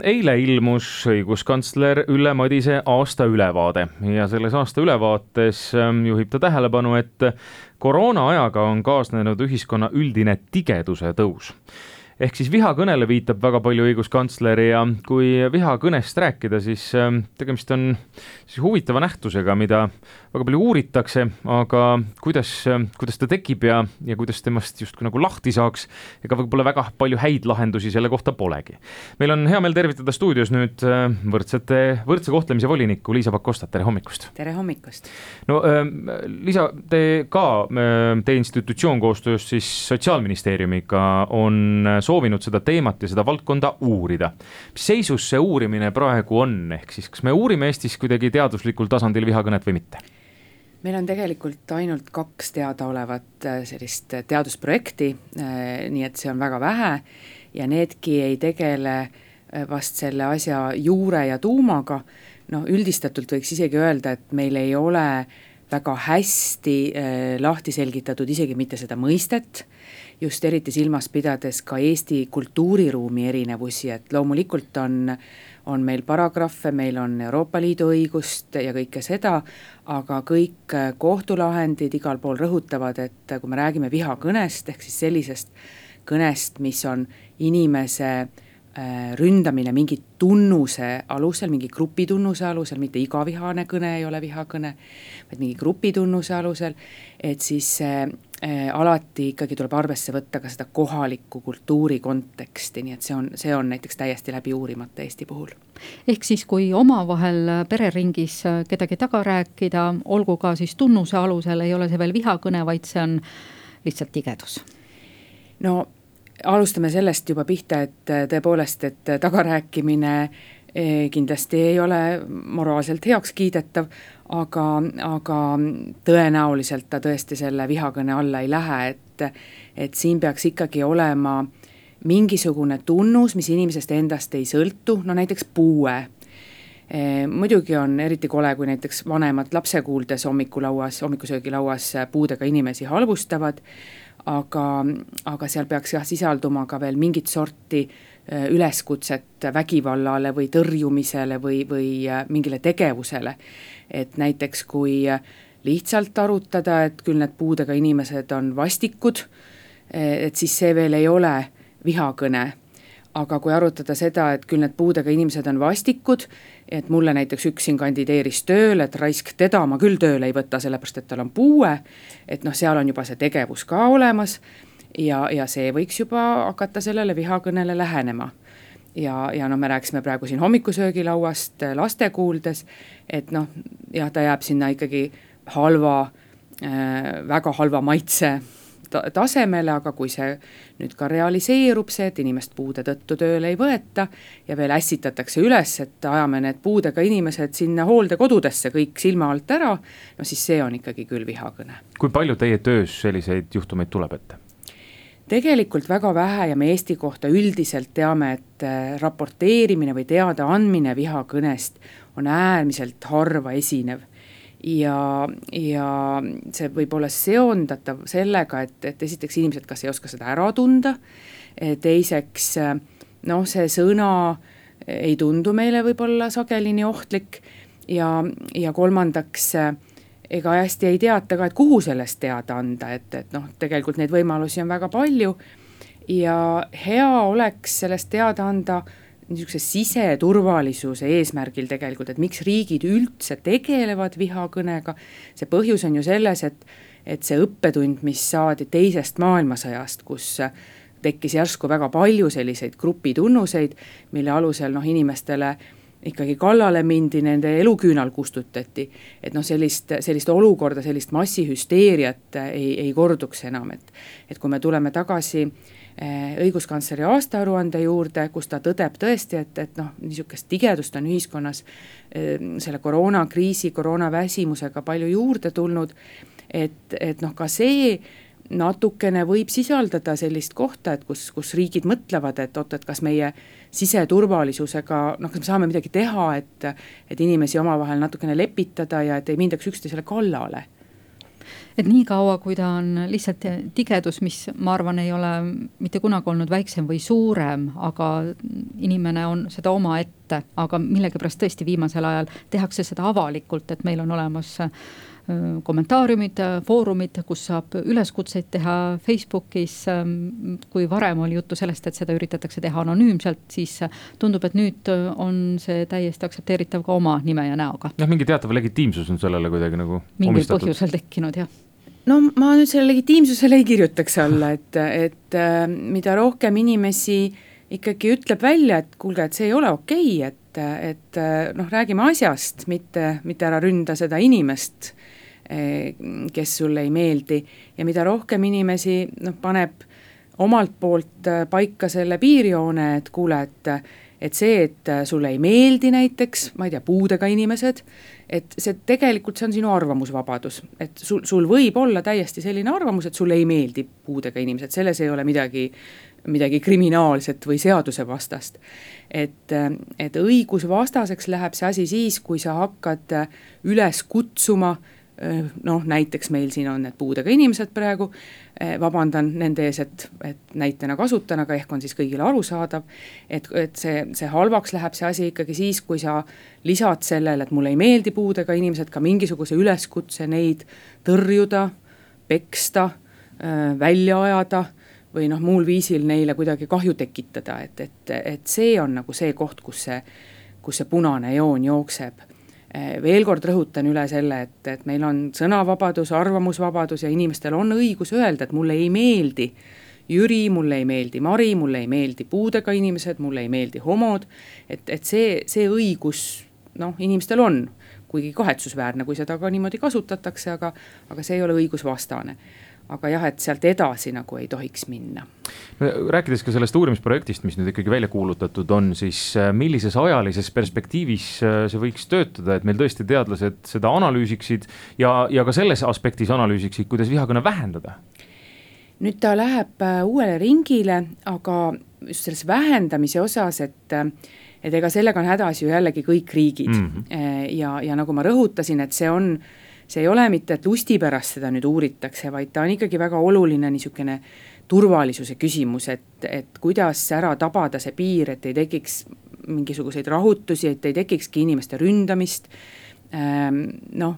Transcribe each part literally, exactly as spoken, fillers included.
Eile ilmus õiguskantsler Ülle Madise aasta ülevaade ja selles aasta ülevaates juhib ta tähelepanu, et koroona ajaga on kaasnenud ühiskonna üldine tigeduse tõus. Ehk siis vihakõnele viitab väga palju õiguskantsler ja kui vihakõnest rääkida, siis tegemist on siis huvitava nähtusega, mida väga palju uuritakse, aga kuidas, kuidas ta tekib ja, ja kuidas temast just nagu lahti saaks, ega võib-olla väga palju häid lahendusi selle kohta polegi. Meil on hea meel tervitada stuudios nüüd võrdsete, võrdse kohtlemise volinikku Liisa Pakostat, tere hommikust! Tere hommikust! No Liisa, te ka, te institutsioon koostöös siis Sotsiaalministeeriumiga on soovinud seda teemat ja seda valdkonda uurida. Mis seisus see uurimine praegu on? Ehk siis, kas me uurime Eestis kuidagi teaduslikul tasandil vihakõnet või mitte? Meil on tegelikult ainult kaks teadaolevat sellist teadusprojekti, nii et see on väga vähe ja needki ei tegele vast selle asja juure ja tuumaga. No, üldistatult võiks isegi öelda, et meil ei ole väga hästi lahti selgitatud isegi mitte seda mõistet, just eriti silmas pidades ka Eesti kultuuriruumi erinevusi, et loomulikult on, on meil paragrahve, meil on Euroopa Liidu õigust ja kõike seda, aga kõik kohtulahendid igal pool rõhutavad, et kui me räägime vihakõnest, ehk siis sellisest kõnest, mis on inimese ründamine mingi tunnuse alusel, mingi grupitunnuse alusel, mitte iga vihane kõne ei ole vihakõne, vaid mingi grupitunnuse alusel, et siis alati ikkagi tuleb arvesse võtta ka seda kohaliku kultuuri konteksti, nii et see on, see on näiteks täiesti läbi uurimata Eesti puhul. Ehk siis kui omavahel pereringis kedagi taga rääkida, olgu ka siis tunnuse alusel, ei ole see veel vihakõne, vaid see on lihtsalt tigedus. No alustame sellest juba pihta, et tõepoolest, et tagarääkimine kindlasti ei ole moraalselt heaks kiidetav, aga, aga tõenäoliselt ta tõesti selle vihakõne alla ei lähe, et, et siin peaks ikkagi olema mingisugune tunnus, mis inimesest endast ei sõltu, no näiteks puue. Muidugi on eriti kole, kui näiteks vanemad lapse kuuldes hommikulauas, hommikusöögilauas puudega inimesi halvustavad, aga, aga seal peaks jah sisalduma ka veel mingit sorti üleskutset vägivallale või tõrjumisele või, või mingile tegevusele. Et näiteks kui lihtsalt arutada, et küll need puudega inimesed on vastikud, et siis see veel ei ole vihakõne. Aga kui arutada seda, et küll need puudega inimesed on vastikud, et mulle näiteks üks siin kandideeris tööle, et raisk teda ma küll tööle ei võta, sellepärast et tal on puue, et noh, seal on juba see tegevus ka olemas ja, ja see võiks juba hakata sellele vihakõnele lähenema. Ja, ja no me rääksime praegu siin hommikusöögilauast laste kuuldes, et noh, jah, ta jääb sinna ikkagi halva, väga halva maitse tasemele, aga kui see nüüd ka realiseerub see, et inimest puude tõttu tööle ei võeta ja veel ässitatakse üles, et ajame need puudega inimesed sinna hooldekodudesse kõik silma alt ära, no siis see on ikkagi küll vihakõne. Kui palju teie töös selliseid juhtumeid tuleb ette? Tegelikult väga vähe ja me Eesti kohta üldiselt teame, et raporteerimine või teada andmine vihakõnest on äärmiselt harva esinev. Ja, ja see võib olla seondatav sellega, et, et esiteks inimesed kas ei oska seda ära tunda, teiseks noh, see sõna ei tundu meile võib-olla sagelini ohtlik ja, ja kolmandaks ega hästi ei teata ka, et kuhu sellest teada anda, et, et noh, tegelikult neid võimalusi on väga palju ja hea oleks sellest teada anda niisuguse siseturvalisuse eesmärgil tegelikult, et miks riigid üldse tegelevad vihakõnega. See põhjus on ju selles, et, et see õppetund, mis saadi teisest maailmasõjast, kus tekkis järsku väga palju selliseid grupitunnuseid, mille alusel noh, inimestele ikkagi kallale mindi, nende eluküünal kustutati, et noh, sellist, sellist olukorda, sellist massihüsteeriat ei, ei korduks enam, et, et kui me tuleme tagasi õiguskantsleri aastaaruande juurde, kus ta tõdeb tõesti, et, et noh, niisugust tigedust on ühiskonnas selle koroonakriisi, koroonaväsimusega palju juurde tulnud, et, et noh, ka see natukene võib sisaldada sellist kohta, et kus, kus riigid mõtlevad, et oot, et kas meie siseturvalisusega, noh, kas me saame midagi teha, et, et inimesi omavahel natukene lepitada ja et ei mindaks üksteisele kallale. et nii kaua, kui ta on lihtsalt tigedus, mis ma arvan, ei ole mitte kunagi olnud väiksem või suurem, aga inimene on seda oma ette, aga millegipärast tõesti viimasel ajal tehakse seda avalikult, et meil on olemas kommentaariumid, foorumid, kus saab üleskutseid teha Facebookis, kui varem oli juttu sellest, et seda üritatakse teha anonüümselt, siis tundub, et nüüd on see täiesti aktsepteeritav ka oma nime ja näoga. Jah, mingi teatav legitiimsus on sellele kuidagi nagu mingi omistatud. Põhjusel tekkinud, jah. No ma nüüd selle legitiimsusele ei kirjutaks alla, et, et mida rohkem inimesi ikkagi ütleb välja, et kuulge, et see ei ole okei, et, et noh, räägime asjast, mitte, mitte ära ründa seda inimest, kes sulle ei meeldi ja mida rohkem inimesi noh, paneb omalt poolt paika selle piirjoone, et kuule, et, et see, et sulle ei meeldi näiteks, ma ei tea, puudega inimesed, et see tegelikult see on sinu arvamusvabadus, et sul, sul võib olla täiesti selline arvamus, et sulle ei meeldi puudega inimesed, selles ei ole midagi, midagi kriminaalset või seadusevastast. Et, et õigusvastaseks läheb see asi siis, kui sa hakkad üles kutsuma noh, näiteks meil siin on need puudega inimesed praegu, vabandan nende ees, et, et näitena kasutan, aga ehk on siis kõigile arusaadav, et, et see, see halvaks läheb see asi ikkagi siis, kui sa lisad sellele, et mulle ei meeldi puudega inimesed, ka mingisuguse üleskutse neid tõrjuda, peksta, välja ajada või noh, muul viisil neile kuidagi kahju tekitada, et, et, et see on nagu see koht, kus see, kus see punane joon jookseb. Veel kord rõhutan üle selle, et, et meil on sõnavabadus, arvamusvabadus ja inimestel on õigus öelda, et mulle ei meeldi Jüri, mulle ei meeldi Mari, mulle ei meeldi puudega inimesed, mulle ei meeldi homod, et, et see, see õigus noh, inimestel on, kuigi kahetsusväärne, kui seda ka niimoodi kasutatakse, aga, aga see ei ole õigusvastane. Aga jah, et sealt edasi nagu ei tohiks minna. Rääkides ka sellest uurimisprojektist, mis nüüd ikkagi välja kuulutatud on, siis millises ajalises perspektiivis see võiks töötada, et meil tõesti teadlased seda analüüsiksid ja, ja ka selles aspektis analüüsiksid, kuidas vihakõne vähendada? Nüüd ta läheb uuele ringile, aga just selles vähendamise osas, et, et ega sellega on hädas ju jällegi kõik riigid. Mm-hmm. Ja, ja nagu ma rõhutasin, et see on see ei ole mitte, et lusti pärast seda nüüd uuritakse, vaid ta on ikkagi väga oluline niisugune turvalisuse küsimus, et, et kuidas ära tabada see piir, et ei tekiks mingisuguseid rahutusi, et ei tekikski inimeste ründamist. Ähm, noh,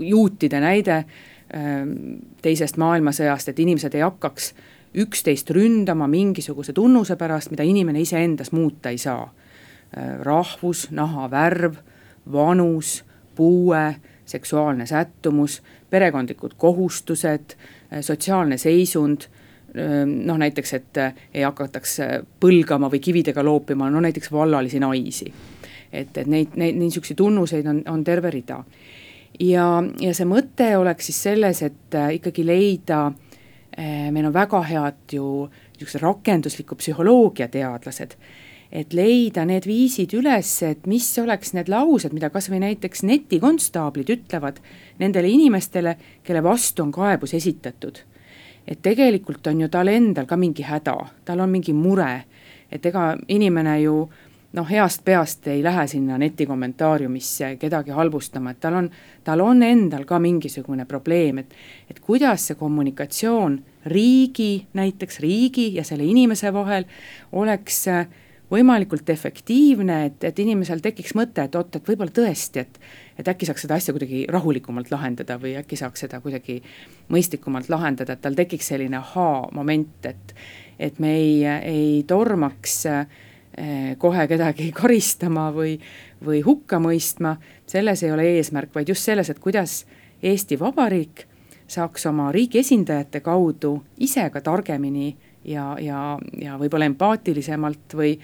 juutide näide ähm, teisest maailmasõjast, et inimesed ei hakkaks üksteist ründama mingisuguse tunnuse pärast, mida inimene ise endas muuta ei saa. Äh, rahvus, naha värv, vanus, puue, seksuaalne sättumus, perekondlikud kohustused, sotsiaalne seisund, noh näiteks, et ei hakataks põlgama või kividega loopima, no näiteks vallalisi naisi. Et, et neid, neid niisuguseid tunnuseid on, on terve rida. Ja, ja see mõte oleks siis selles, et ikkagi leida, meil on väga head ju rakendusliku psühholoogia teadlased, et leida need viisid üles, et mis oleks need laused, mida kas või näiteks netikonstaablid ütlevad nendele inimestele, kelle vastu on kaebus esitatud. Et tegelikult on ju tal endal ka mingi häda, tal on mingi mure, et ega inimene ju noh, heast peast ei lähe sinna netikommentaariumisse kedagi halvustama, et tal on, tal on endal ka mingisugune probleem, et, et kuidas see kommunikatsioon riigi, näiteks riigi ja selle inimese vahel oleks võimalikult efektiivne, et, et inimesel tekiks mõte, et oot, et võib-olla tõesti, et, et äkki saaks seda asja kuidagi rahulikumalt lahendada või äkki saaks seda kuidagi mõistlikumalt lahendada, et tal tekiks selline aha-moment, et, et me ei, ei tormaks eh, kohe kedagi karistama või, või hukka mõistma, selles ei ole eesmärk, vaid just selles, et kuidas Eesti Vabariik saaks oma riigi esindajate kaudu ise ka targemini ja, ja, ja võib-olla empaatilisemalt või,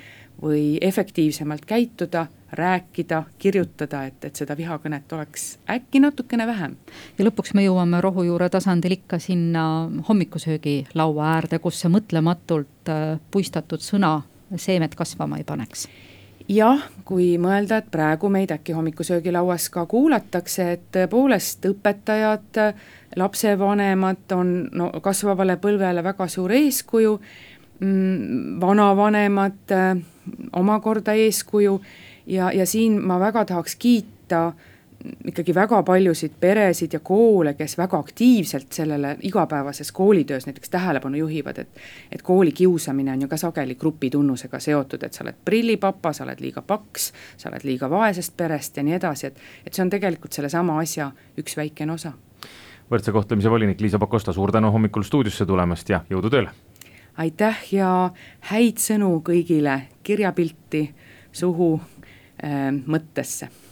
või efektiivsemalt käituda, rääkida, kirjutada, et, et seda vihakõnet oleks äkki natukene vähem. Ja lõpuks me jõuame rohujuure tasandil ikka sinna hommikusöögi laua äärde, kus see mõtlematult puistatud sõna seemet kasvama ei paneks. Jah, kui mõelda, et praegu meid äkki hommikusöögilauas ka kuulatakse, et tõepoolest õpetajad, lapsevanemad on no, kasvavale põlvele väga suur eeskuju, vanavanemad omakorda eeskuju ja, ja siin ma väga tahaks kiita ikkagi väga paljusid peresid ja koole, kes väga aktiivselt sellele igapäevases koolitöös näiteks tähelepanu juhivad, et, et kooli kiusamine on ju ka sageli grupitunnusega seotud, et sa oled prillipapa, sa oled liiga paks, sa oled liiga vaesest perest ja nii edasi, et, et see on tegelikult selle sama asja üks väikene osa. Võrdse kohtlemise volinik Liisa Pakosta, suur tänu hommikul stuudiosse tulemast ja jõudu tööle! Aitäh ja häid sõnu kõigile kirjapilti suhu äh, mõttesse!